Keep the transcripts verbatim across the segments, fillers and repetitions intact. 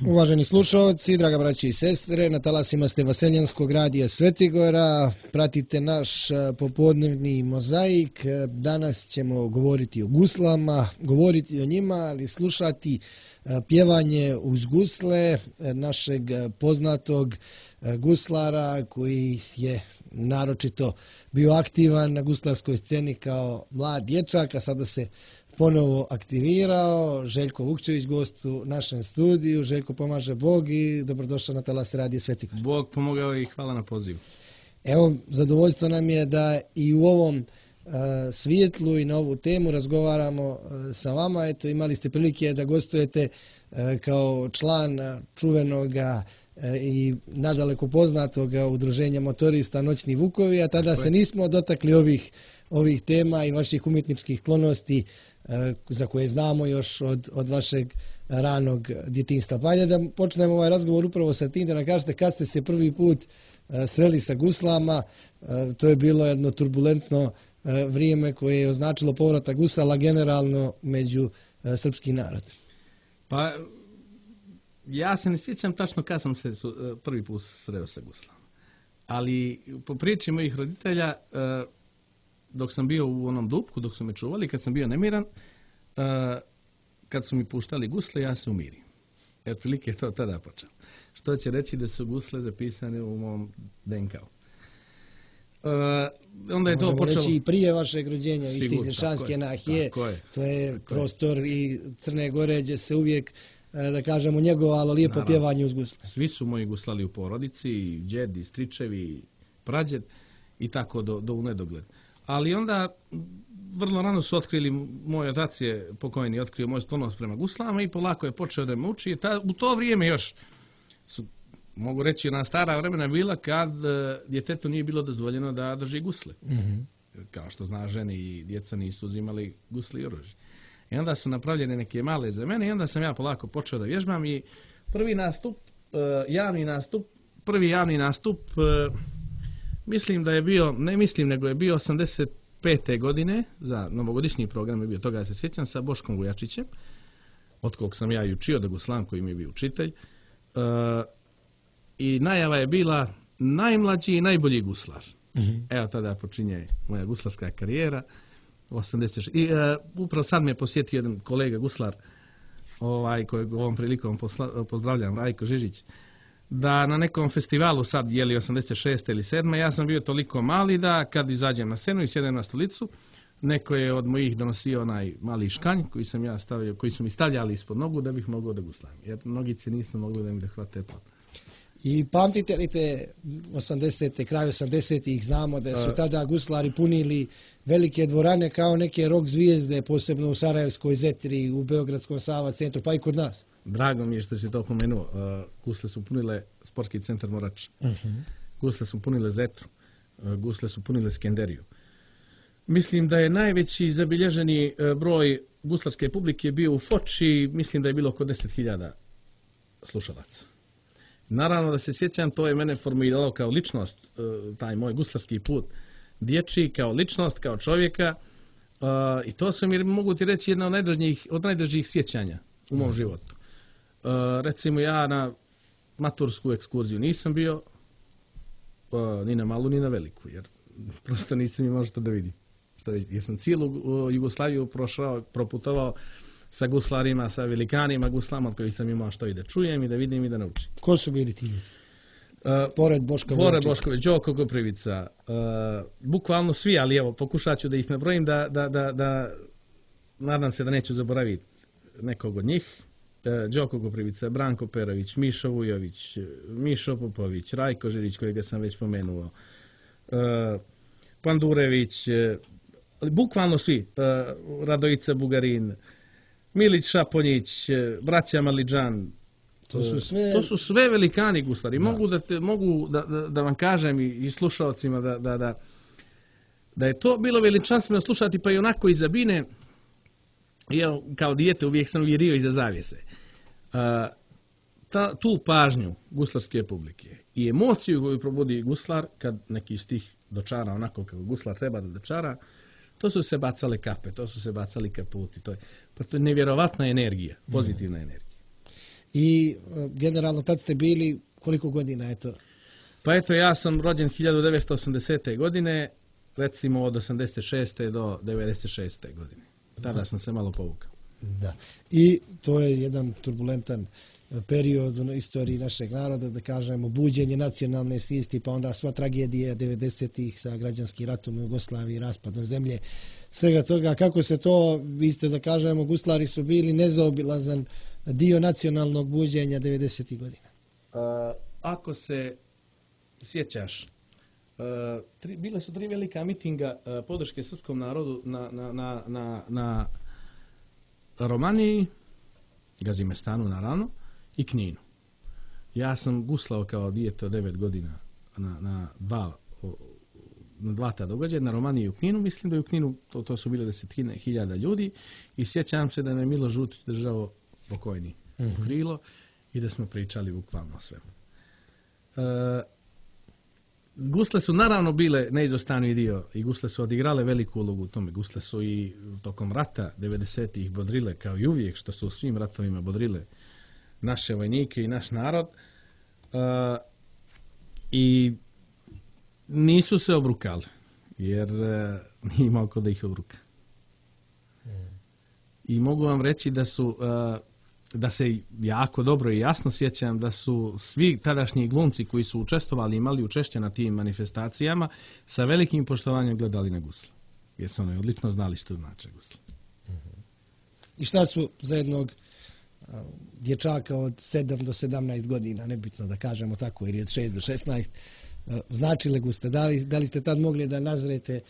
Uvaženi slušalci, draga braći i sestre, na talasima ste Vaseljanskog radija Svetigora, pratite naš popodnevni mozaik. Danas ćemo govoriti o guslama, govoriti o njima, ali slušati pjevanje uz gusle našeg poznatog guslara koji je naročito bio aktivan na guslarskoj sceni kao mlad dječak, a sada se ponovo aktivirao. Željko Vukčević, gost u našem studiju. Željko, pomaže Bog i dobrodošao na talas radija Svetigor. Bog pomogao i hvala na pozivu. Evo, zadovoljstvo nam je da i u ovom uh, svijetlu i na ovu temu razgovaramo uh, sa vama. Eto, imali ste prilike da gostujete uh, kao član uh, čuvenoga uh, i nadaleko poznatoga udruženja motorista Noćni Vukovi, a tada se nismo dotakli ovih, ovih tema i vaših umjetničkih sklonosti za koje znamo još od, od vašeg ranog djetinjstva. Pa ajde da počnemo ovaj razgovor upravo sa tim, da nam kažete kad ste se prvi put sreli sa guslama. To je bilo jedno turbulentno vrijeme koje je označilo povratak gusala generalno među srpski narod. Pa ja se ne sjećam tačno kad sam se prvi put sreo sa guslama. Ali po priči mojih roditelja, dok sam bio u onom dupku, dok su me čuvali, kad sam bio nemiran, uh, kad su mi puštali gusle, ja se umirim. Jer prilike je to tada počelo. Što će reći da su gusle zapisane u mom D N K-u. Uh, onda je Možemo to počelo... reći i prije vašeg rođenja, vi ste iz Nišanske nahije, to je prostor i Crne Gore, gdje se uvijek, da kažemo, njegovalo lijepo Naravno. pjevanje uz gusle. Svi su moji guslali u porodici, i džed, i stričevi, i prađed, i tako do, do u nedogled. Ali onda vrlo rano su otkrili, moj otac je pokojni otkrio moj sklonost prema guslama i polako je počeo da me uči. Ta, u to vrijeme još su, mogu reći, ona stara vremena bila kad djetetu nije bilo dozvoljeno da drži gusle. Mm-hmm. Kao što zna, žene i djeca nisu uzimali gusle i oružje. I onda su napravljene neke male za mene i onda sam ja polako počeo da vježbam i prvi nastup, javni nastup, prvi javni nastup, mislim da je bio, ne mislim, nego je bio osamdeset pete godine, za novogodišnji program je bio, toga ja se sjećam, sa Boškom Vujačićem, od kog sam ja i učio da guslam, koji mi je bio učitelj. Uh, I najava je bila najmlađi i najbolji guslar. Mm-hmm. Evo tada počinje moja guslarska karijera. osamdeset šeste I uh, upravo sad me je posjetio jedan kolega guslar, ovaj, kojeg ovom prilikom posla, pozdravljam, Rajko Žižić, da na nekom festivalu sad, je li osamdeset šeste ili sedme ja sam bio toliko mali da kad izađem na scenu i sjedem na stolicu, neko je od mojih donosio onaj mali škanj koji sam ja stavio, koji su mi stavljali ispod nogu da bih mogao da guslam. Jer nogice nisu mogli da mi da hvate pod. I pamtite li te osamdesete, kraj osamdesetih, znamo da su tada guslari punili velike dvorane kao neke rock zvijezde, posebno u Sarajevskoj Zetri, u Beogradskom Sava centru, pa i kod nas. Drago mi je što si to pomenuo. Uh, gusle su punile sportski centar Morač. Uh-huh. Gusle su punile Zetru. Uh, gusle su punile Skenderiju. Mislim da je najveći zabilježeni uh, broj guslarske publike bio u Foči, mislim da je bilo oko deset hiljada slušalaca. Naravno da se sjećam, to je mene formuliralo kao ličnost, uh, taj moj guslarski put dječji, kao ličnost, kao čovjeka. Uh, I to su mi, mogu ti reći, jedna od najdražnijih, od najdražijih sjećanja u mom uh-huh. životu. Uh, recimo ja na matursku ekskurziju nisam bio uh, ni na malu ni na veliku, jer prosto nisam imao što da vidim. Što, jer sam cijelu uh, Jugoslaviju prošao, proputovao sa guslarima, sa velikanima guslama od kojih sam imao što i da čujem i da vidim i da naučim. Ko su bili ti ljudi? Uh, pored Boška Pored Bošković, Đoko Koprivica, uh, bukvalno svi, ali evo, pokušat ću da ih nabrojim, da, da, da, da nadam se da neću zaboraviti nekog od njih. Đoko Koprivica, Branko Perović, Mišo Vujović, Mišo Popović, Rajko Žirić, kojega sam već pomenuo, Pandurević, bukvalno svi, Radojica Bugarin, Milić Šaponjić, braća Maliđan, to su sve, to su sve velikani guslari. Da. Mogu, da, te, mogu da, da, da vam kažem i, i slušalcima da, da, da, da je to bilo veličanstveno slušati, pa i onako iza bine. Ja, kao dijete uvijek sam virio iza zavjese. Uh, ta, tu pažnju guslarske publike i emociju koju probudi guslar kad neki stih dočara onako kako guslar treba da dočara, to su se bacale kape, to su se bacali kaputi. To je, pa to je nevjerovatna energija, pozitivna mm. energija. i generalno tad ste bili koliko godina, eto? Pa eto, ja sam rođen hiljadu devetsto osamdesete. godine, recimo od osamdeset šeste do devedeset šeste. godine. Tada da. sam se malo povukao. Da. I to je jedan turbulentan period u istoriji našeg naroda, da kažemo, buđenje nacionalne svijesti, pa onda sva tragedija devedesetih sa građanskim ratom u Jugoslaviji, raspadom zemlje, svega toga. Kako se to, vi ste da kažemo, guslari su bili nezaobilazan dio nacionalnog buđenja devedesetih godina? Uh, ako se sjećaš, uh, tri, bile su tri velika mitinga uh, podrške srpskom narodu na, na, na, na, na Romaniji, Gazimestanu naravno, i Kninu. Ja sam guslao kao dijete od devet godina na, na, dva, na dva ta događaja, na Romaniji i u Kninu. Mislim da je u Kninu to, to su bile desetine hiljada ljudi i sjećam se da me Milo Žutić držao pokojni u mm-hmm. krilo i da smo pričali bukvalno o svemu. E, gusle su naravno bile neizostavni dio i gusle su odigrale veliku ulogu u tome. Gusle su i tokom rata devedesetih bodrile, kao i uvijek što su u svim ratovima bodrile naše vojnike i naš narod, uh, i nisu se obrukali, jer uh, nije imao ko da ih obruka. Mm. I mogu vam reći da su, uh, da se jako dobro i jasno sjećam da su svi tadašnji glumci koji su učestvovali, imali učešće na tim manifestacijama, sa velikim poštovanjem gledali na gusle. Jer su oni odlično znali što znače gusle. Mm-hmm. I šta su za jednog dječaka od sedam do sedamnaest godina, nebitno da kažemo tako, ili od šest do šesnaest, značile gusle? Da li, da li ste tad mogli da nazrete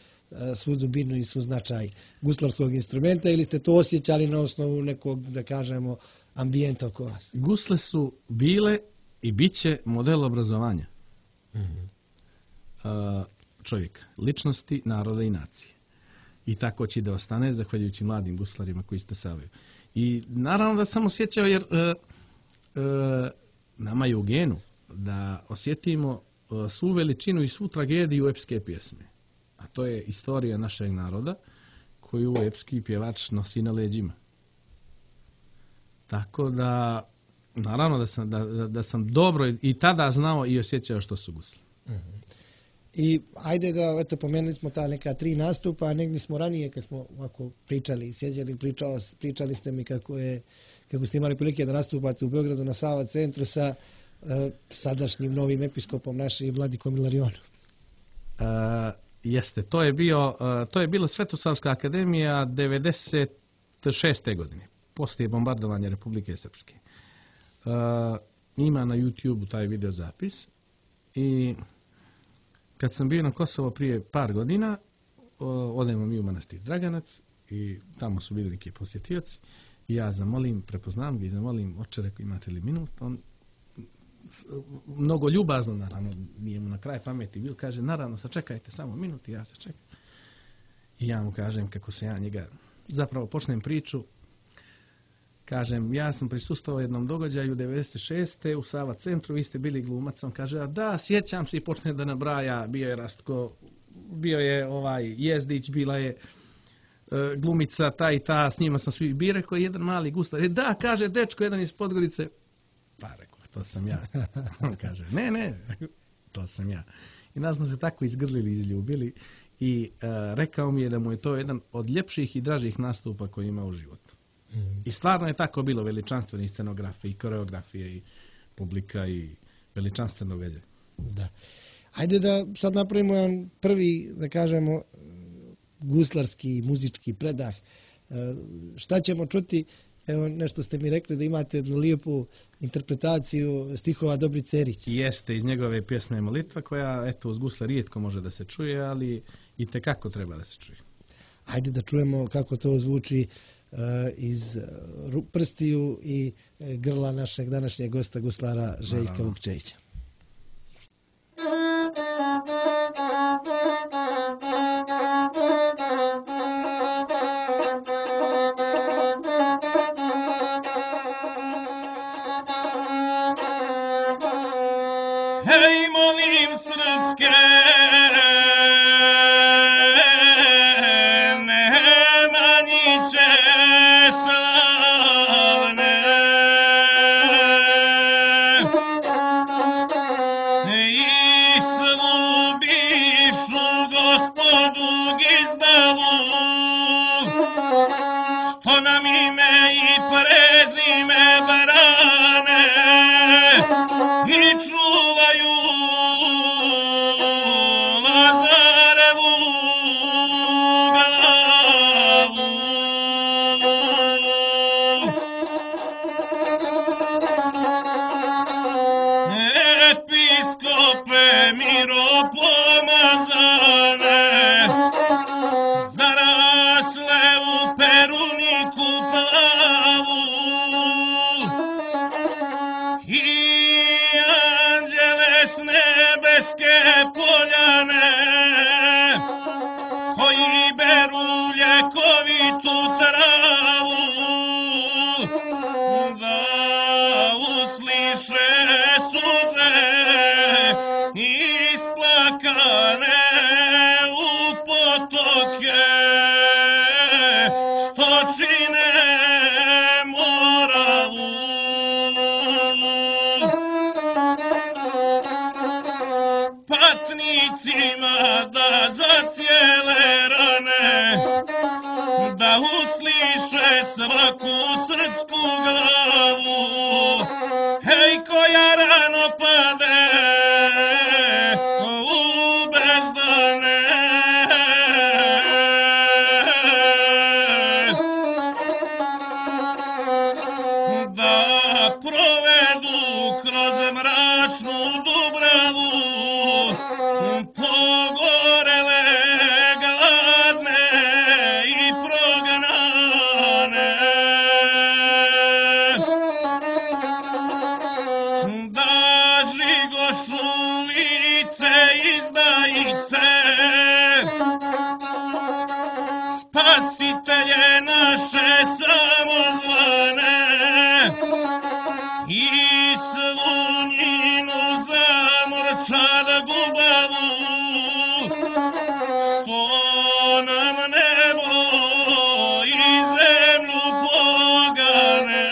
svu dubinu i svu značaj guslarskog instrumenta ili ste to osjećali na osnovu nekog, da kažemo, ambijenta oko vas? Gusle su bile i bit će model obrazovanja mm-hmm. čovjeka, ličnosti, naroda i nacije. I tako će da ostane, zahvaljujući mladim guslarima koji stasavaju. I naravno da sam osjećao, jer e, e, nama je u genu da osjetimo e, svu veličinu i svu tragediju epske pjesme. A to je istorija našeg naroda koju epski pjevač nosi na leđima. Tako da, naravno da sam, da, da, da sam dobro i tada znao i osjećao što su gusle. Mm-hmm. I ajde da, eto, pomenuli smo ta neka tri nastupa, a negdje smo ranije, kad smo ovako pričali, sjeđali, pričao, pričali ste mi kako je, kako ste imali prilike da nastupate u Beogradu na Sava centru sa uh, sadašnjim novim episkopom našim Vladikom Ilarionom. Uh, jeste, to je bio, uh, to je bila Svetosavska akademija devedeset šeste. godine, poslije bombardovanja Republike Srpske. Uh, ima na YouTube taj video zapis i kad sam bio na Kosovo prije par godina, odemo mi u manastir Draganac i tamo su bili neki posjetioci i ja zamolim, prepoznam ga i zamolim, oče, rekao, imate li minut? On mnogo ljubazno, naravno, nije mu na kraj pameti bil, kaže, naravno, sačekajte samo minut i ja se čekam. I ja mu kažem kako se ja njega, zapravo počnem priču, kažem, ja sam prisustvovao jednom događaju devedeset šeste. u Sava centru, vi ste bili glumac. On kaže, a da, sjećam se, i počne da nabraja, bio je Rastko, bio je ovaj Jezdić, bila je uh, glumica ta i ta, s njima sam svi bi rekao, jedan mali guslar. E, da, kaže, dečko, jedan iz Podgorice. Pa rekao, to sam ja. On kaže, ne, ne, to sam ja. I nas smo se tako izgrlili, izljubili i uh, rekao mi je da mu je to jedan od ljepših i dražih nastupa koji ima u životu. I stvarno je tako bilo, veličanstvene scenografije i koreografije i publika i veličanstveno velje. Da. Ajde da sad napravimo jedan prvi, da kažemo, guslarski, muzički predah. Šta ćemo čuti? Evo, nešto ste mi rekli da imate jednu lijepu interpretaciju stihova Dobrice Erić. Jeste, iz njegove pjesme Molitva, koja, eto, uz gusle rijetko može da se čuje, ali i tekako treba da se čuje. Ajde da čujemo kako to zvuči iz prstiju i grla našeg današnjeg gosta guslara Željka Vukčevića. Hej, molim srpske Nemaniće slavne, srpsku glavu, hej koja rano pade u bezdane. Da provedu kroz mračnu Dubravu pogorele, gladne i prognane. Da žigošu lice izdajice, spasitelje naše samozvane, i svu njinu zamorčad gubavu, što nam nebo i zemlju pogane.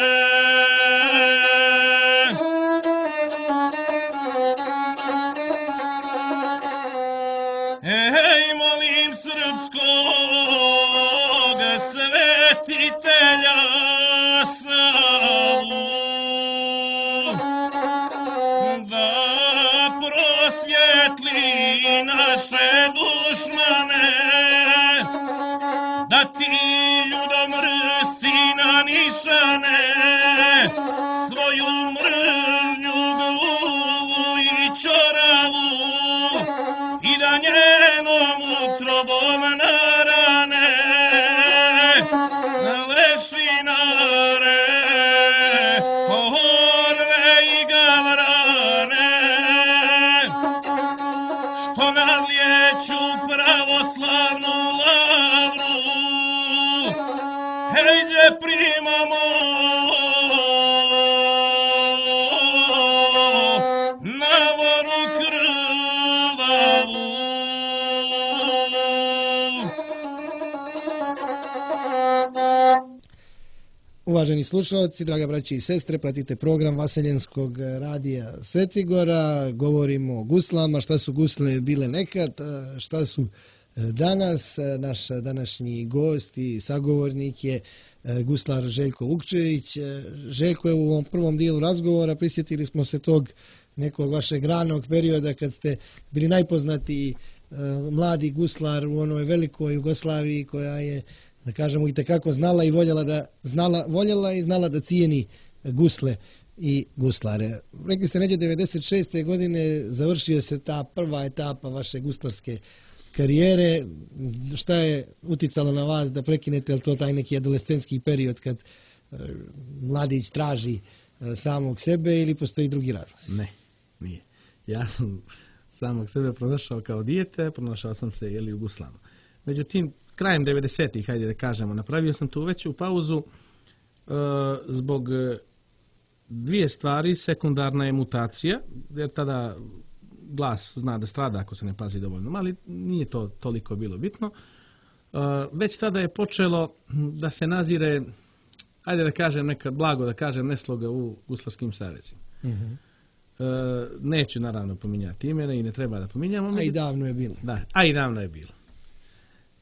Ej, molim srpskog svetitelja Savu, da prosvjetli naše dušmane, da ti ljudomrsci na nišane svoju mržnju gluvu i čoravu, i da njenom utrobom na rane lešinare, orle i gavrane, što nadlijeću pravoslavnu lavru, hejđe primamo na voru krvavu. Uvaženi slušalci, draga braći i sestre, pratite program Vaseljenskog radija Svetigora. Govorimo o guslama, šta su gusle bile nekad, šta su danas. Naš današnji gost i sagovornik je guslar Željko Vukčević. Željko, je u ovom prvom dijelu razgovora prisjetili smo se tog nekog vašeg ranog perioda kad ste bili najpoznatiji mladi guslar u onoj velikoj Jugoslaviji koja je, da kažemo, i tekako znala i voljela da znala, voljela i znala da cijeni gusle i guslare. Rekli ste, neđe devedeset šeste godine završio se ta prva etapa vaše guslarske karijere. Šta je uticalo na vas da prekinete, je li to taj neki adolescentski period kad e, mladić traži e, samog sebe ili postoji drugi razlog? Ne, nije. Ja sam samog sebe pronašao kao dijete, pronašao sam se jeli u guslama. Međutim, krajem devedesetih, hajde da kažemo, napravio sam tu veću pauzu e, zbog dvije stvari. Sekundarna je mutacija, jer tada glas zna da strada ako se ne pazi dovoljno, ali nije to toliko bilo bitno. E, već tada je počelo da se nazire, hajde da kažem nekad blago, da kažem nesloga u guslarskim savezima. Mm-hmm. E, neću naravno pominjati imena i ne treba da pominjamo. A i davno je bilo. Da, a i davno je bilo.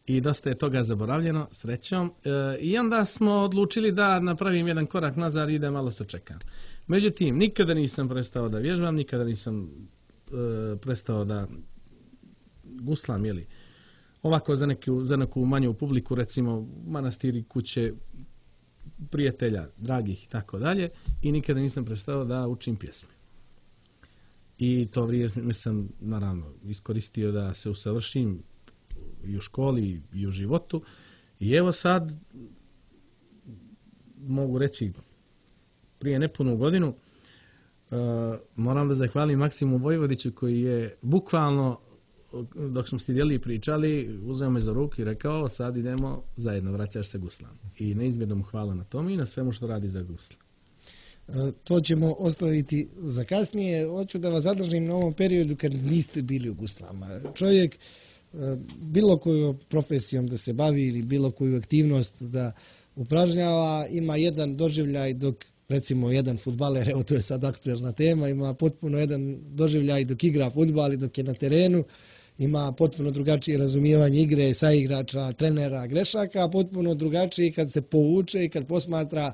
I dosta je toga zaboravljeno, srećom. E, I onda smo odlučili da napravim jedan korak nazad i da malo sačekam. Međutim, nikada nisam prestao da vježbam, nikada nisam e, prestao da guslam, jeli, ovako za neku, za neku manju publiku, recimo manastiri, kuće, prijatelja, dragih i tako dalje. I nikada nisam prestao da učim pjesme. I to vrijeme sam, naravno, iskoristio da se usavršim i u školi i u životu. I evo sad, mogu reći, prije nepunu godinu, uh, moram da zahvalim Maksimu Vojvodiću koji je bukvalno, dok smo sjedili i pričali, uzeo me za ruku i rekao, sad idemo zajedno, vraćaš se guslam. I neizmjerno mu hvala na tom i na svemu što radi za gusla. To ćemo ostaviti za kasnije. Hoću da vas zadržim na ovom periodu kad niste bili u guslama. Čovjek bilo koju profesijom da se bavi ili bilo koju aktivnost da upražnjava, ima jedan doživljaj dok, recimo, jedan fudbaler, evo to je sad aktuelna tema, ima potpuno jedan doživljaj dok igra fudbal i dok je na terenu, ima potpuno drugačije razumijevanje igre, saigrača, trenera, grešaka, potpuno drugačije kad se povuče i kad posmatra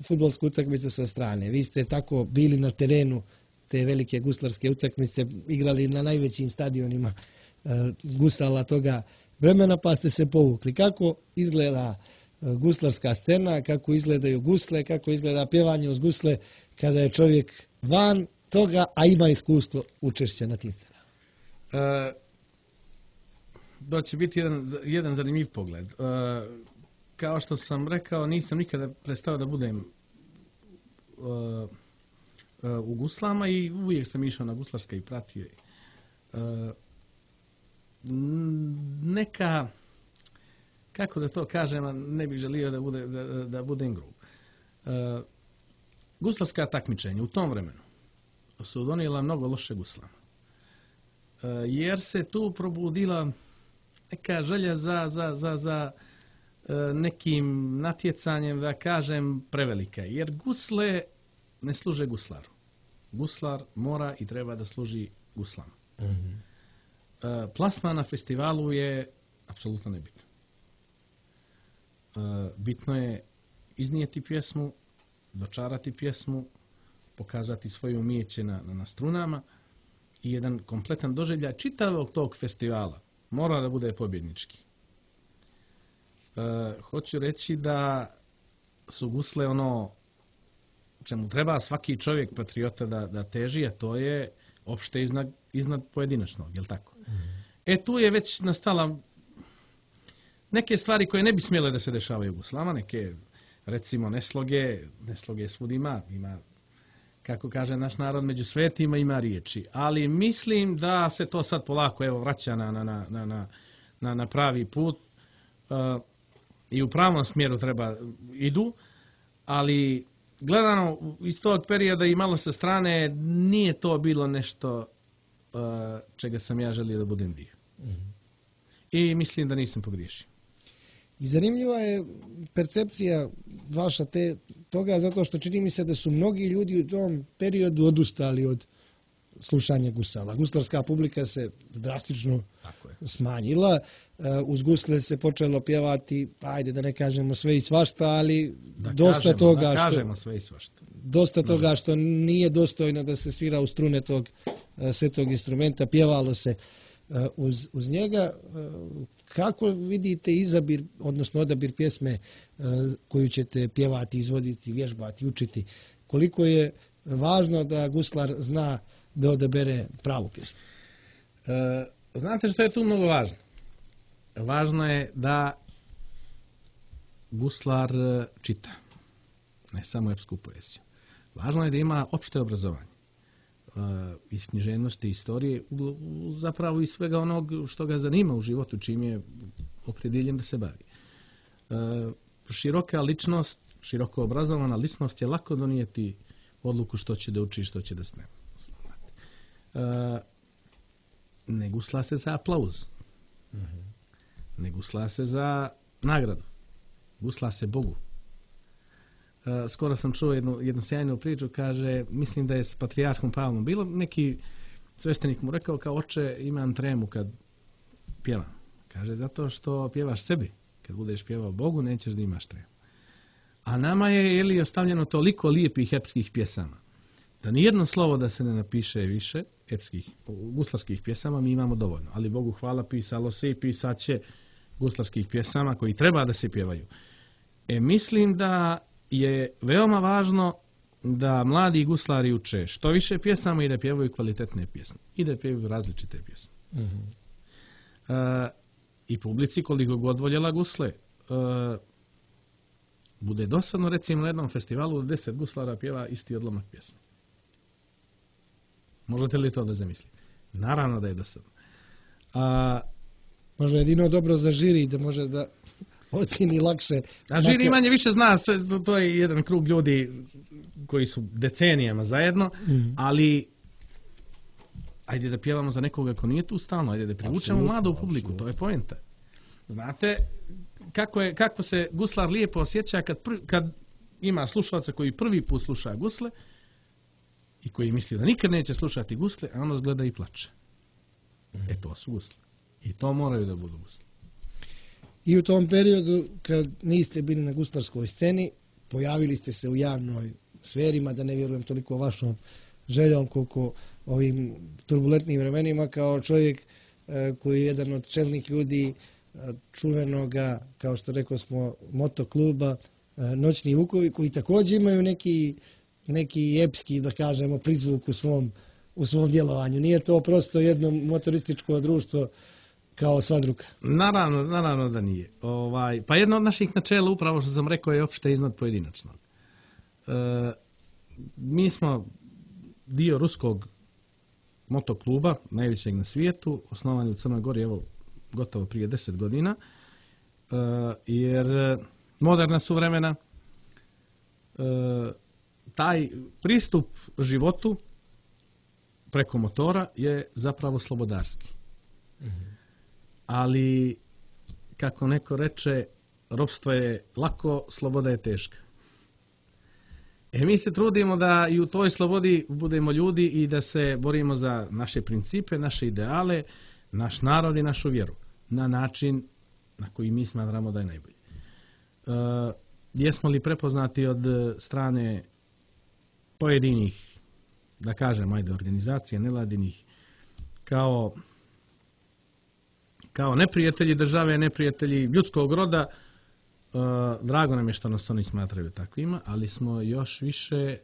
fudbalsku utakmicu sa strane. Vi ste tako bili na terenu te velike guslarske utakmice, igrali na najvećim stadionima uh, gusala toga vremena, pa ste se povukli. Kako izgleda uh, guslarska scena, kako izgledaju gusle, kako izgleda pjevanje uz gusle kada je čovjek van toga, a ima iskustvo učešća na tim scenama? Uh, to će biti jedan, jedan zanimljiv pogled. Uh, kao što sam rekao, nisam nikada prestao da budem uh, uh, u guslama i uvijek sam išao na guslarske i pratio. Uh, neka, kako da to kažem, ne bih želio da, bude, da, da budem grub. Uh, guslarska takmičenja u tom vremenu su donijela mnogo loše guslama. Uh, jer se tu probudila neka želja za, za, za, za uh, nekim natjecanjem, da kažem, prevelika. Jer gusle ne služe guslaru. Guslar mora i treba da služi guslama. Mm-hmm. Uh, plasma na festivalu je apsolutno nebitno. Uh, bitno je iznijeti pjesmu, dočarati pjesmu, pokazati svoje umijeće na, na, na strunama i jedan kompletan doživljaj čitavog tog festivala mora da bude pobjednički. Uh, hoću reći da su gusle ono čemu treba svaki čovjek patriota da, da teži, a to je opšte iznad, iznad pojedinačnog, je li tako? Mm. E tu je već nastala neke stvari koje ne bi smjele da se dešavaju u guslama, neke recimo nesloge, nesloge svud ima, ima, kako kaže naš narod, među svetima ima riječi, ali mislim da se to sad polako evo vraća na, na, na, na, na, na pravi put uh, i u pravom smjeru treba idu, ali gledano iz tog perioda i malo sa strane nije to bilo nešto uh, čega sam ja želio da budem dio. Mm-hmm. I mislim da nisam pogriješio. I zanimljiva je percepcija vaša te, toga, zato što čini mi se da su mnogi ljudi u tom periodu odustali od slušanja gusala. Guslarska publika se drastično Tako je. smanjila. Uz gusle se počelo pjevati, ajde da ne kažemo sve i svašta, ali da dosta kažemo, toga da što kažemo sve i svašta. Dosta no. toga što nije dostojno da se svira u strune tog svetog instrumenta, pjevalo se uz, uz njega. Kako vidite izabir, odnosno odabir pjesme koju ćete pjevati, izvoditi, vježbati, učiti? Koliko je važno da guslar zna da odabere pravu pjesmu? E, znate što je tu mnogo važno? Važno je da guslar čita, ne samo epsku poeziju. Važno je da ima opšte obrazovanje e, iz književnosti, istorije, zapravo iz svega onog što ga zanima u životu, čim je opredjeljen da se bavi. E, široka ličnost, široko obrazovana ličnost je lako donijeti odluku što će da uči i što će da sprema. Uh, ne gusla se za aplauz. Mm-hmm. Ne gusla se za nagradu. Gusla se Bogu. Uh, skoro sam čuo jednu, jednu sjajnu priču, kaže, mislim da je s patrijarhom Pavlom bilo, neki sveštenik mu rekao kao oče imam tremu kad pjevam. Kaže, zato što pjevaš sebi. Kad budeš pjevao Bogu, nećeš da imaš tremu. A nama je, je li, ostavljeno toliko lijepih epskih pjesama, da nijedno slovo da se ne napiše više epskih, guslarskih pjesama, mi imamo dovoljno. Ali Bogu hvala, pisalo se i pisat će guslarskih pjesama koji treba da se pjevaju. E, mislim da je veoma važno da mladi guslari uče što više pjesama i da pjevaju kvalitetne pjesme. I da pjevaju različite pjesme. Mm-hmm. E, I publici koliko god voljela gusle, e, bude dosadno, recimo na jednom festivalu da deset guslara pjeva isti odlomak pjesme. Možete li to da zamislite? Naravno da je dosadno. A, može jedino dobro za žiri da može da ocjeni lakše. A žiri dakle... manje više zna, sve, to je jedan krug ljudi koji su decenijama zajedno, mm. ali ajde da pjevamo za nekoga ko nije tu stalno, ajde da privučemo mladu publiku, absolutno. To je poenta. Znate kako, je, kako se guslar lijepo osjeća kad, prvi, kad ima slušalca koji prvi put sluša gusle i koji misli da nikad neće slušati gusle, a onda zgleda i plače. Mm. E to su gusle. I to moraju da budu gusle. I u tom periodu kad niste bili na guslarskoj sceni, pojavili ste se u javnoj sferima, da ne vjerujem toliko vašom željom koliko ovim turbulentnim vremenima, kao čovjek koji je jedan od čelnih ljudi čuvenoga, kao što rekao smo, motokluba Noćni Vukovi, koji također imaju neki, neki epski, da kažemo, prizvuk u svom, u svom djelovanju. Nije to prosto jedno motorističko društvo kao sva druga. Naravno, naravno da nije. Ovaj, pa jedno od naših načela, upravo što sam rekao, je opšte iznad pojedinačnog. E, mi smo dio ruskog motokluba, najvećeg na svijetu, osnovan u Crnoj Gori, evo, gotovo prije deset godina, e, jer moderna su vremena, e, taj pristup životu preko motora je zapravo slobodarski. Mm-hmm. Ali, kako neko reče, ropstvo je lako, sloboda je teška. E mi se trudimo da i u toj slobodi budemo ljudi i da se borimo za naše principe, naše ideale, naš narod i našu vjeru na način na koji mi smatramo da je najbolji. E, jesmo li prepoznati od strane pojedinih, da kažem, ajde, organizacija nevladinih, kao kao neprijatelji države, neprijatelji ljudskog roda, uh, drago nam je što nas oni smatraju takvima, ali smo još više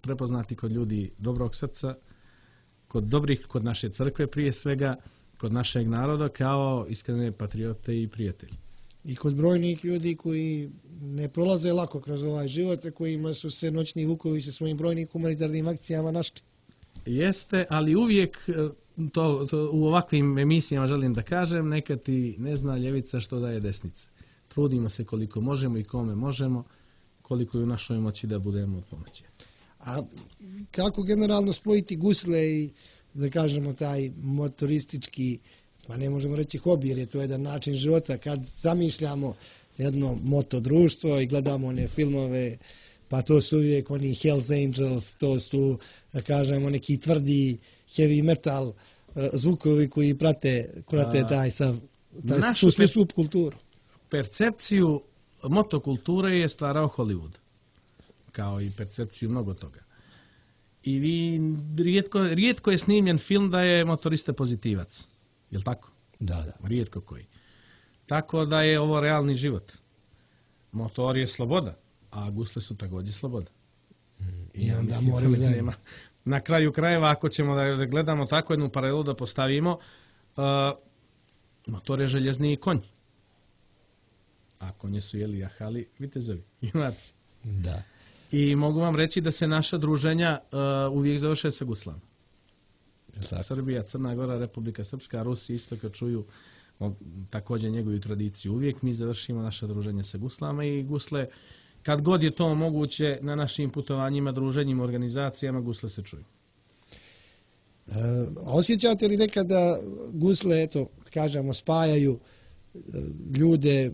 prepoznati kod ljudi dobrog srca, kod dobrih, kod naše crkve prije svega, kod našeg naroda, kao iskrene patriote i prijatelji. I kod brojnih ljudi koji ne prolaze lako kroz ovaj život, a kojima su se Noćni Vukovi sa svojim brojnim humanitarnim akcijama našli. Jeste, ali uvijek to, to u ovakvim emisijama želim da kažem, neka ti ne zna ljevica što daje desnica. Trudimo se koliko možemo i kome možemo, koliko je u našoj moći da budemo od pomoći. A kako generalno spojiti gusle i, da kažemo, taj motoristički, pa ne možemo reći hobi, jer je to jedan način života, kad zamišljamo jedno motodruštvo i gledamo one filmove, pa to su uvijek oni Hells Angels, to su, da kažemo, neki tvrdi heavy metal uh, zvukovi koji prate, prate taj sav, taj, tu svu subkulturu. Percepciju motokulture je stvarao Hollywood, kao i percepciju mnogo toga. I vi, rijetko, rijetko je snimljen film da je motorista pozitivac. Je li tako? Da, da. Rijetko koji. Tako da je ovo realni život. Motor je sloboda, a gusle su također sloboda. Mm, I, I onda moraju zajedno. Na kraju krajeva, ako ćemo da gledamo tako jednu paralelu da postavimo, uh, motor je željezni konj. A konje su jeli jahali vitezovi, junaci. Da. I mogu vam reći da se naša druženja uh, uvijek završe sa guslama. Srbija, Crna Gora, Republika Srpska, Rusi isto kad čuju o, također njegovu tradiciju. Uvijek mi završimo naše druženje sa guslama i gusle, kad god je to moguće na našim putovanjima, druženjima, organizacijama, gusle se čuju. E, osjećate li nekada gusle, eto, kažemo, spajaju ljude,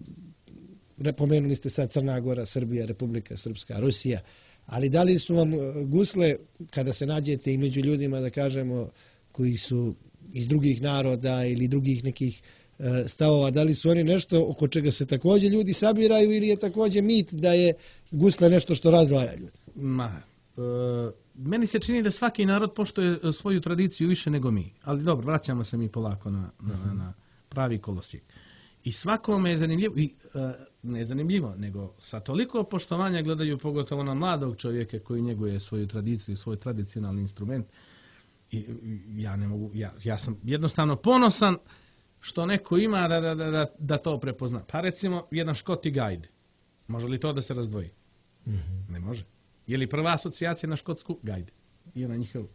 pomenuli ste sad Crna Gora, Srbija, Republika Srpska, Rusija, ali da li su vam gusle, kada se nađete i među ljudima, da kažemo, koji su iz drugih naroda ili drugih nekih stavova, da li su oni nešto oko čega se također ljudi sabiraju ili je također mit da je gusle nešto što razdvaja ljudi? Ma, e, meni se čini da svaki narod poštuje svoju tradiciju više nego mi, ali dobro, vraćamo se mi polako na, na, na pravi kolosijek. I svakome je zanimljivo, i, e, ne zanimljivo, nego sa toliko poštovanja gledaju pogotovo na mladog čovjeka koji njeguje svoju tradiciju, svoj tradicionalni instrument. I ja ne mogu, ja, ja sam jednostavno ponosan što neko ima da, da, da, da to prepozna. Pa recimo jedan Škoti gajd. Može li to da se razdvoji? Mm-hmm. Ne može. Je li prva asocijacija na škotsku? Gajd. I ona njihov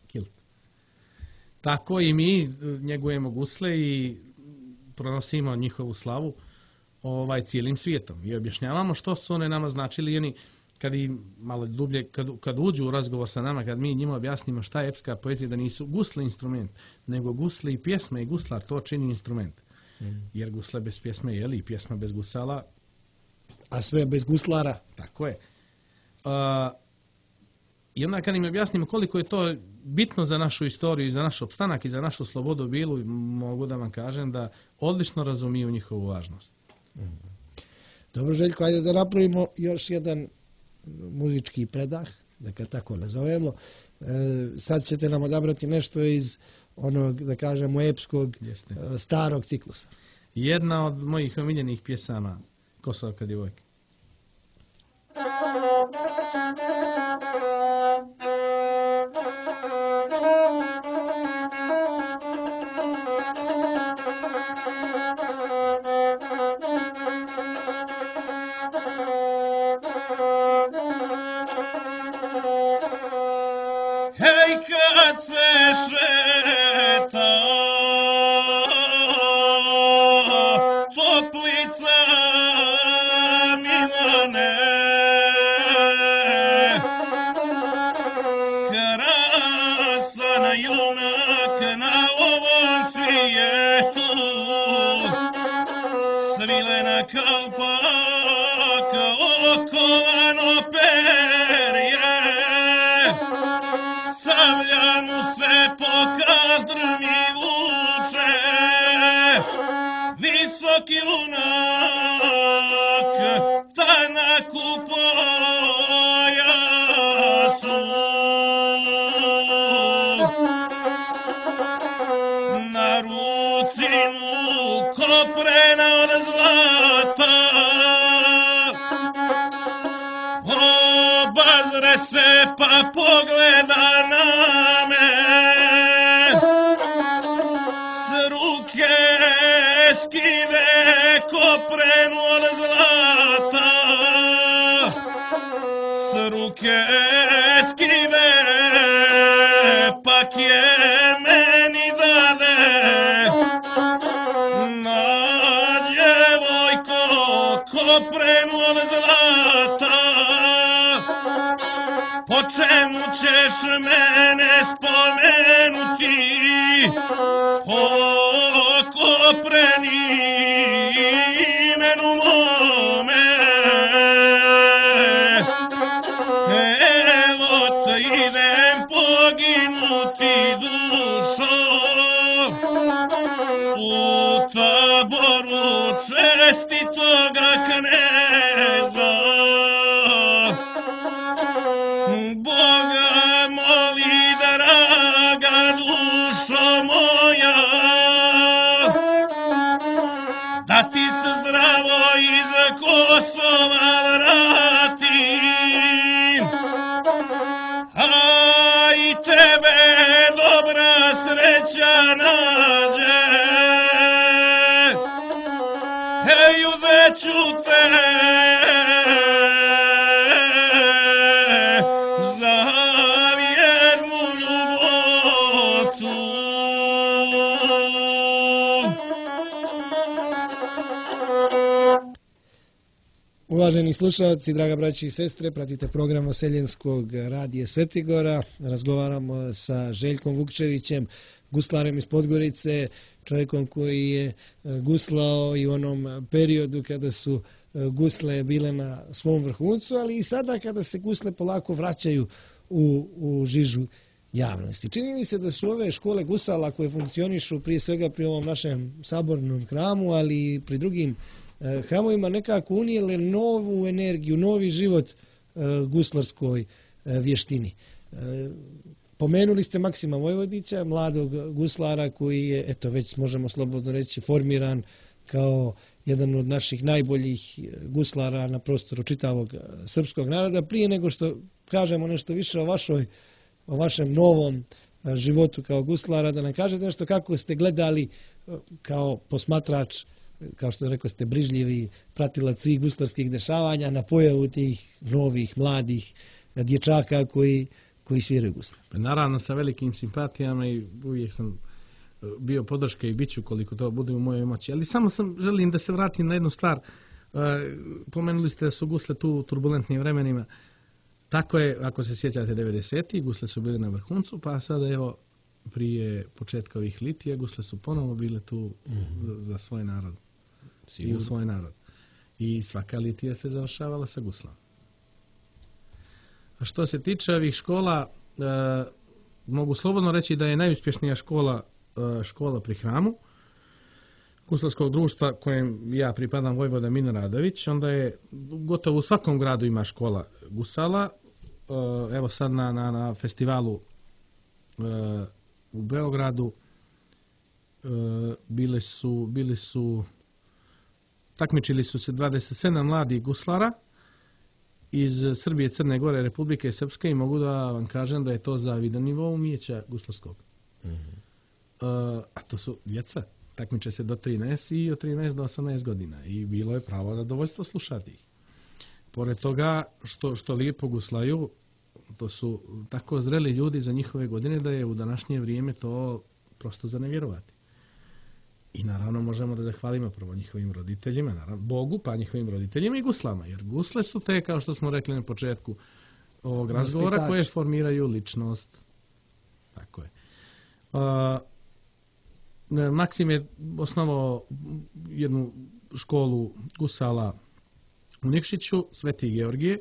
kilt. Tako i mi njegujemo gusle i pronosimo njihovu slavu ovaj, cijelim svijetom. I objašnjavamo što su one nama značili. I oni, kad i malo dublje, kad, kad uđu u razgovor sa nama, kad mi njima objasnimo šta je epska poezija, da nisu gusle instrument, nego gusle i pjesme i guslar, to čini instrument. Mm. Jer gusle bez pjesme, je li, i pjesma bez gusala. A sve bez guslara. Tako je. Uh, I onda kad im objasnimo koliko je to bitno za našu istoriju, za naš opstanak i za našu slobodu bilu, mogu da vam kažem da odlično razumiju njihovu važnost. Mm. Dobro, Željko, ajde da napravimo još jedan muzički predah, da ga tako nazovemo. E, sad ćete nam odabrati nešto iz onog, da kažemo, epskog Jeste. starog ciklusa. Jedna od mojih omiljenih pjesama, Kosovka djevojka. Hej, kad se šeta Toplica Milane, krasan junak na ovom svijetu, svilena kalpaka, okovano perje, sablja mu se po kadrmi vuče, visoki lunak, tanak u pojasu. Na ruci mu koprena od zlata, obazre se pa pogleda na me, s ruke skine koprenu od zlata, s ruke skine pak je meni dade. Na djevojko koprenu od zlata, po čemu ćeš mene spomenuti? Po kopreni imenu mome. Evo te idem poginuti dušo u taboru čestitoga kneza. Boga moli, draga dušo moja, da ti se zdravo iz Kosova vratim, a i tebe dobra sreća nađe. Hej, uzet ću te za vjernu ljubovcu. Uvaženi slušalci, draga braći i sestre, pratite program Vaseljenskog radija Svetigora. Razgovaramo sa Željkom Vukčevićem, guslarem iz Podgorice, čovjekom koji je guslao i u onom periodu kada su gusle bile na svom vrhuncu, ali i sada kada se gusle polako vraćaju u, u žižu javnosti. Čini mi se da su ove škole gusala koje funkcionišu prije svega pri ovom našem sabornom hramu, ali i pri drugim hramovima nekako unijele novu energiju, novi život guslarskoj vještini. Pomenuli ste Maksima Vojvodića, mladog guslara koji je, eto već možemo slobodno reći, formiran kao jedan od naših najboljih guslara na prostoru čitavog srpskog naroda. Prije nego što kažemo nešto više o vašoj, o vašem novom životu kao guslara, da nam kažete nešto kako ste gledali kao posmatrač, kao što rekao ste, brižljivi pratilac svih guslarskih dešavanja na pojavu tih novih, mladih dječaka koji, koji sviraju gusle. Naravno, sa velikim simpatijama i uvijek sam bio podrška i bit ću koliko to bude u mojoj moći. Ali samo sam želim da se vratim na jednu stvar. Pomenuli ste da su gusle tu u turbulentnim vremenima. Tako je, ako se sjećate devedesetih, gusle su bile na vrhuncu, pa sada evo prije početka ovih litija gusle su ponovo bile tu mm-hmm. za, za svoj narod. Sigurno. I u svoj narod. I svaka litija se završavala sa guslom. A što se tiče ovih škola, e, mogu slobodno reći da je najuspješnija škola e, škola pri hramu. guslarskog društva kojem ja pripadam, Vojvoda Mino Radović, onda je gotovo u svakom gradu ima škola gusala. Evo sad na, na, na festivalu u Beogradu bili su, bili su takmičili su se dvadeset sedam mladih guslara iz Srbije, Crne Gore, Republike Srpske i mogu da vam kažem da je to zavidan nivo umijeća guslarskog. Mm-hmm. A to su djeca. Takmiče se do trinaest i od trinaest do osamnaest godina i bilo je pravo zadovoljstvo slušati ih. Pored toga što, što lijepo guslaju, to su tako zreli ljudi za njihove godine da je u današnje vrijeme to prosto za nevjerovati. I naravno možemo da zahvalimo prvo njihovim roditeljima, naravno Bogu, pa njihovim roditeljima i guslama, jer gusle su te, kao što smo rekli na početku ovog razgovora, koje formiraju ličnost. Tako je. Uh, Maksim je osnovao jednu školu gusala u Nikšiću, Sveti Georgije,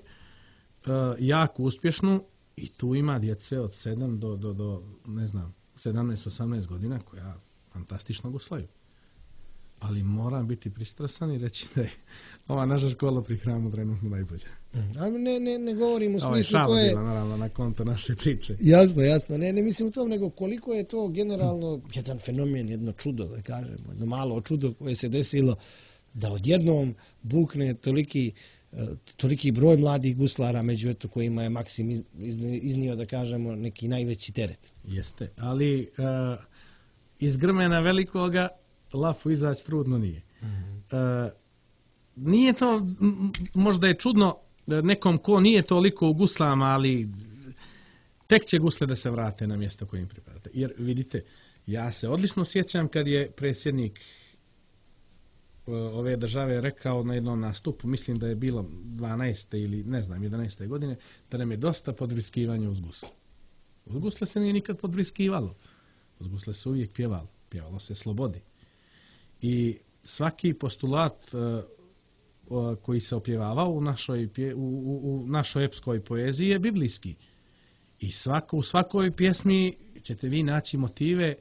uh, jako uspješnu, i tu ima djece od sedam do, do, do ne znam, sedamnaest osamnaest godina koja fantastično guslaju. Ali moram biti pristrasan i reći da je ova naša škola pri hramu trenutno najbolja. Ali ne, ne, ne govorim u smislu koje... Ovo je koje... bila, naravno, na konto naše priče. Jasno, jasno. Ne, ne mislim u tom, nego koliko je to generalno jedan fenomen, jedno čudo, da kažemo, jedno malo čudo koje se desilo da odjednom bukne toliki, toliki broj mladih guslara, među eto kojima je Maksim iznio, da kažemo, neki najveći teret. Jeste, ali uh, iz grmena velikoga lafu izaći trudno nije. Mm-hmm. Uh, nije to, m- možda je čudno nekom ko nije toliko u guslama, ali tek će gusle da se vrate na mjesto kojim pripadate. Jer vidite, ja se odlično sjećam kad je predsjednik uh, ove države rekao na jednom nastupu, mislim da je bilo dvanaeste ili ne znam, jedanaeste godine, da nam je dosta podvriskivanja uz gusle. Uz gusle se nije nikad podvriskivalo. Uz gusle se uvijek pjevalo. Pjevalo se slobodi. I svaki postulat uh, uh, koji se opjevavao u našoj, pje, u, u, u našoj epskoj poeziji je biblijski. I svako, u svakoj pjesmi ćete vi naći motive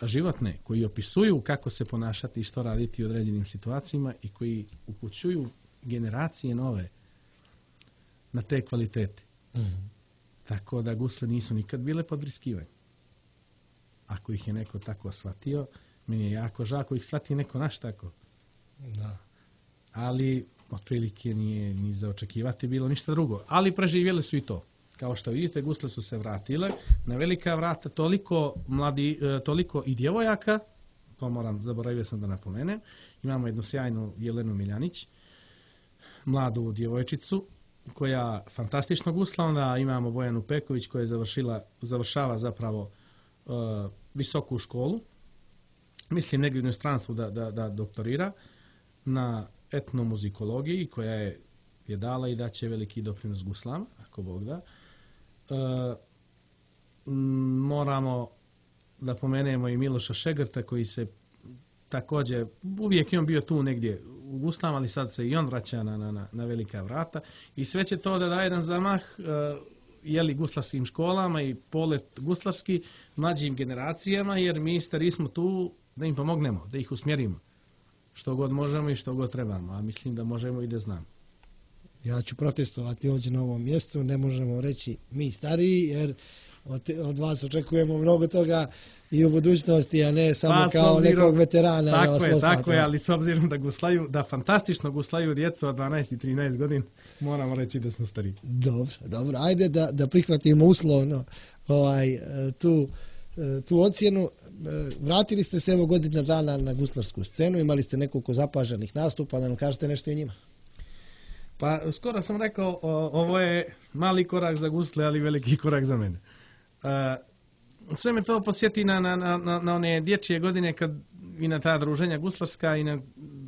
životne koji opisuju kako se ponašati i što raditi u određenim situacijama i koji upućuju generacije nove na te kvalitete. Mm-hmm. Tako da gusle nisu nikad bile podvriskivanje. Ako ih je neko tako shvatio, meni je jako žao ako ih shvati neko naš tako. Da. Ali otprilike nije ni za očekivati bilo ništa drugo. Ali preživjeli su i to. Kao što vidite, gusle su se vratile na velika vrata, toliko mladi, toliko i djevojaka, to moram, zaboravio sam da napomenem. Imamo jednu sjajnu Jelenu Miljanić, mladu djevojčicu, koja fantastično gusla. Onda imamo Bojanu Peković koja je završila, završava zapravo uh, visoku školu. Mislim negdje u inostranstvu da, da, da doktorira na etnomuzikologiji, koja je, je dala i daće veliki doprinos guslama, ako Bog da. E, moramo da pomenemo i Miloša Šegrta, koji se također, uvijek je on bio tu negdje u guslama, ali sad se i on vraća na, na, na velika vrata. I sve će to da daje jedan zamah e, jeli guslarskim školama i polet guslarski mlađim generacijama, jer mi stari smo tu da im pomognemo, da ih usmjerimo. Što god možemo i što god trebamo, a mislim da možemo i da znamo. Ja ću protestovati ovdje na ovom mjestu, ne možemo reći mi stariji, jer od, od vas očekujemo mnogo toga i u budućnosti, a ne samo pa, kao obzirom, nekog veterana. Tako da vas je, posmatra. tako je, ali s obzirom da guslaju, da fantastično guslaju djecu od dvanaest i trinaest godina, moramo reći da smo stariji. Dobro, dobro, ajde da, da prihvatimo uslovno ovaj, tu tu ocjenu. Vratili ste se evo godina dana na guslarsku scenu, imali ste nekoliko zapaženih nastupa, da nam kažete nešto o njima. Pa skoro sam rekao, o, ovo je mali korak za gusle, ali veliki korak za mene. E, sve me to podsjeti na, na, na, na one dječje godine kad i na ta druženja guslarska i na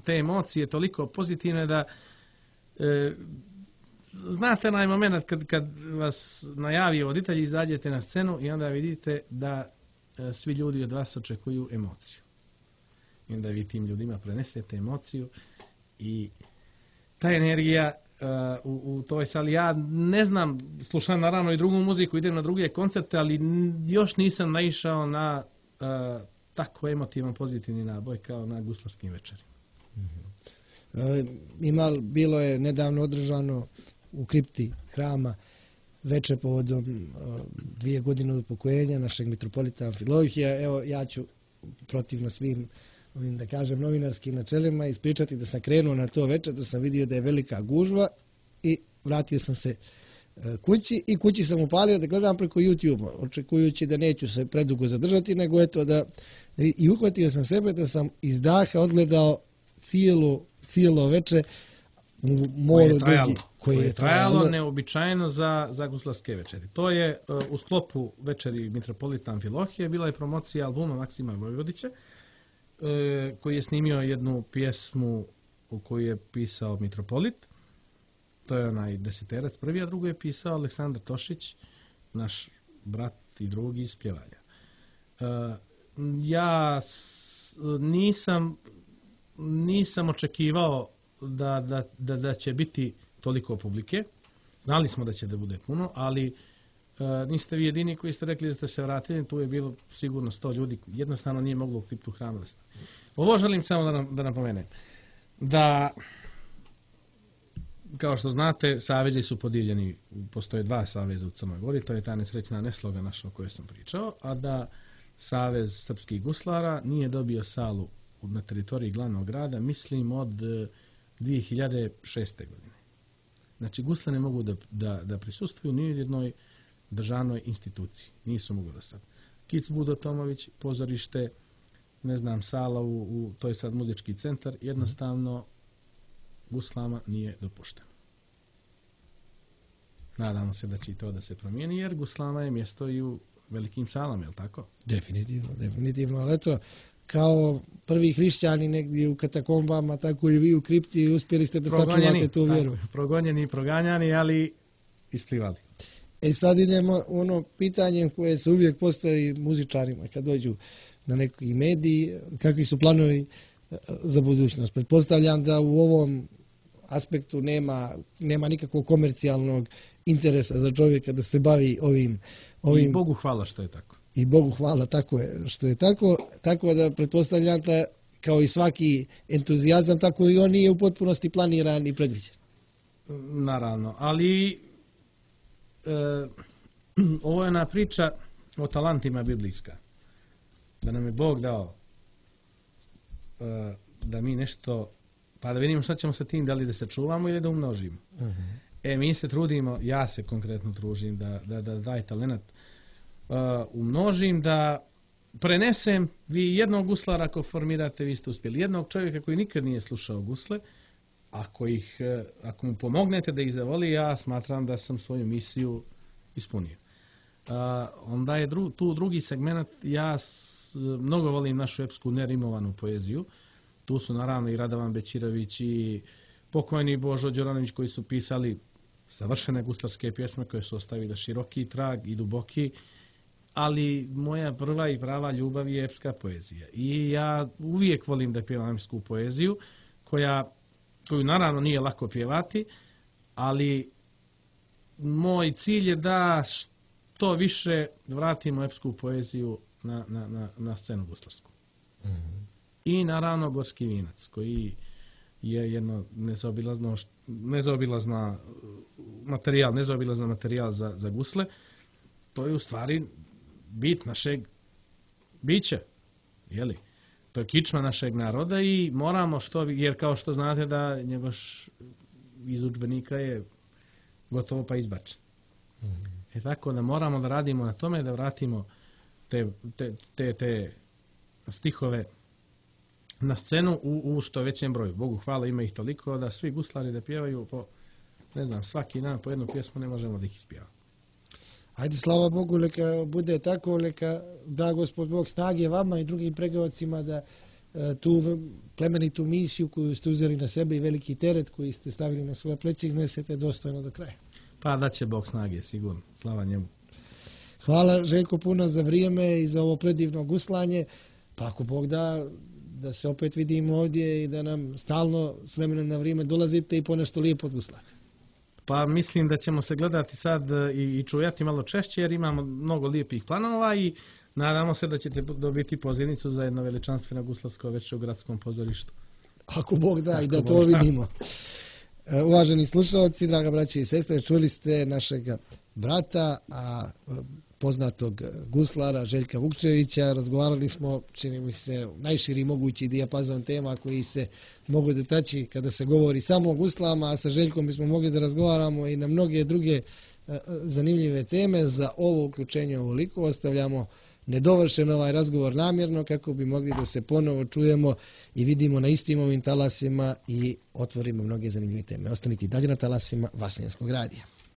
te emocije toliko pozitivne da e, znate onaj moment kad, kad vas najavi voditelj, izađete na scenu i onda vidite da e, svi ljudi od vas očekuju emociju. I onda vi tim ljudima prenesete emociju i ta energija uh, u, u toj sali, ja ne znam, slušam naravno i drugu muziku, idem na druge koncerte, ali još nisam naišao na uh, tako emotivan, pozitivni naboj kao na guslarskim večerima. E, ima, bilo je nedavno održano u kripti hrama večer povodom uh, dvije godine od upokojenja našeg mitropolita Amfilohija. Evo, ja ću protivno svim ovim, da kažem, novinarskim načelima ispričati da sam krenuo na to večer, da sam vidio da je velika gužva i vratio sam se uh, kući i kući sam upalio da gledam preko YouTube, očekujući da neću se predugo zadržati, nego eto da i uhvatio sam sebe da sam iz daha odgledao cijelo, cijelo večer u moru dugi. Koje je trajalo neobičajno za, za guslarske večeri. To je uh, u sklopu večeri mitropolita Amfilohije bila je promocija albuma Maksima Vojvodića, uh, koji je snimio jednu pjesmu u koju je pisao mitropolit. To je onaj deseterac prvi, a drugo je pisao Aleksandar Tošić, naš brat i drugi iz Pljevalja. Uh, ja s, nisam, nisam očekivao da, da, da, da će biti toliko publike. Znali smo da će da bude puno, ali uh, niste vi jedini koji ste rekli da ste se vratili, tu je bilo sigurno sto ljudi, jednostavno nije moglo u kriptu hrama da stane. Ovo želim samo da, nam, da napomenem, da kao što znate, savezi su podijeljeni, postoje dva saveza u Crnoj Gori, to je ta nesrećna nesloga naša o kojoj sam pričao, a da Savez srpskih guslara nije dobio salu na teritoriji glavnog grada, mislim od dvije hiljade šeste. godine. Znači, gusle ne mogu da, da, da prisustvuju ni u jednoj državnoj instituciji. Nisu mogu da sad. Kic Budo Tomović, pozorište, ne znam, sala, u, u, to je sad muzički centar, jednostavno guslama nije dopušteno. Nadamo se da će i to da se promijeni, jer guslama je mjesto i u velikim salama, je li tako? Definitivno, definitivno, ali eto, kao prvi hrišćani negdje u katakombama, tako i vi u kripti, uspjeli ste da progonjeni, sačuvate tu vjeru. Tako, progonjeni i proganjani, ali isplivali. E sad idemo ono pitanje koje se uvijek postavi muzičarima kad dođu na neki mediji, kakvi su planovi za budućnost. Pretpostavljam da u ovom aspektu nema, nema nikakvog komercijalnog interesa za čovjeka da se bavi ovim, ovim... I Bogu hvala što je tako. I Bogu hvala tako je što je tako, tako da pretpostavljam da kao i svaki entuzijazam, tako i on nije u potpunosti planiran i predviđen. Naravno, ali e, ovo je jedna priča o talentima biblijska. Da nam je Bog dao e, da mi nešto, pa da vidimo šta ćemo sa tim, da li da se čuvamo ili da umnožimo. Uh-huh. E, mi se trudimo, ja se konkretno tružim da, da, da daj talent Uh, umnožim, da prenesem. Vi jednog guslara ako formirate, vi ste uspjeli. Jednog čovjeka koji nikad nije slušao gusle, ako, ih, uh, ako mu pomognete da ih zavoli, ja smatram da sam svoju misiju ispunio. Uh, onda je dru, tu drugi segment, ja s, mnogo volim našu epsku nerimovanu poeziju. Tu su naravno i Radovan Bećirović i pokojni Božo Đoranović koji su pisali savršene guslarske pjesme koje su ostavile široki trag i duboki, ali moja prva i prava ljubav je epska poezija. I ja uvijek volim da pjevam epsku poeziju, koja, koju naravno nije lako pjevati, ali moj cilj je da što više vratimo epsku poeziju na, na, na, na scenu guslarsku. Mm-hmm. I naravno Gorski vinac, koji je jedno nezaobilazno, nezaobilazna materijal, nezaobilazna materijal za, za gusle. To je u stvari bit našeg bića, jeli? To je kičma našeg naroda i moramo što, jer kao što znate da njegoš iz udžbenika je gotovo pa izbačen. Mm-hmm. E tako da moramo da radimo na tome, da vratimo te, te, te, te stihove na scenu u, u što većem broju. Bogu hvala, ima ih toliko da svi guslari da pjevaju po, ne znam, svaki dan po jednu pjesmu ne možemo da ih ispjevamo. Ajde, slava Bogu, neka bude tako, neka da Gospod Bog snage vama i drugim pregovacima da e, tu plemenitu misiju koju ste uzeli na sebe i veliki teret koji ste stavili na svoje pleće iznesete dostojno do kraja. Pa da će Bog snage, sigurno. Slava njemu. Hvala Željko puno za vrijeme i za ovo predivno guslanje. Pa ako Bog da, da se opet vidimo ovdje i da nam stalno s vremena na vrijeme dolazite i ponešto lijepo odguslate. Pa mislim da ćemo se gledati sad i, i čujati malo češće jer imamo mnogo lijepih planova i nadamo se da ćete dobiti pozivnicu za jedno veličanstveno guslarsko večer u gradskom pozorištu. Ako Bog da, Ako i da Bog to da. vidimo. Uvaženi slušalci, draga braće i sestre, čuli ste našeg brata, a poznatog guslara Željka Vukčevića. Razgovarali smo, čini mi se, najširi mogući dijapazon tema koji se mogu dotaći kada se govori samo o guslama, a sa Željkom bismo mogli da razgovaramo i na mnoge druge zanimljive teme. Za ovo uključenje ovoliko ostavljamo nedovršen ovaj razgovor namjerno kako bi mogli da se ponovo čujemo i vidimo na istim ovim talasima i otvorimo mnoge zanimljive teme. Ostanite dalje na talasima Vaseljenskog radija.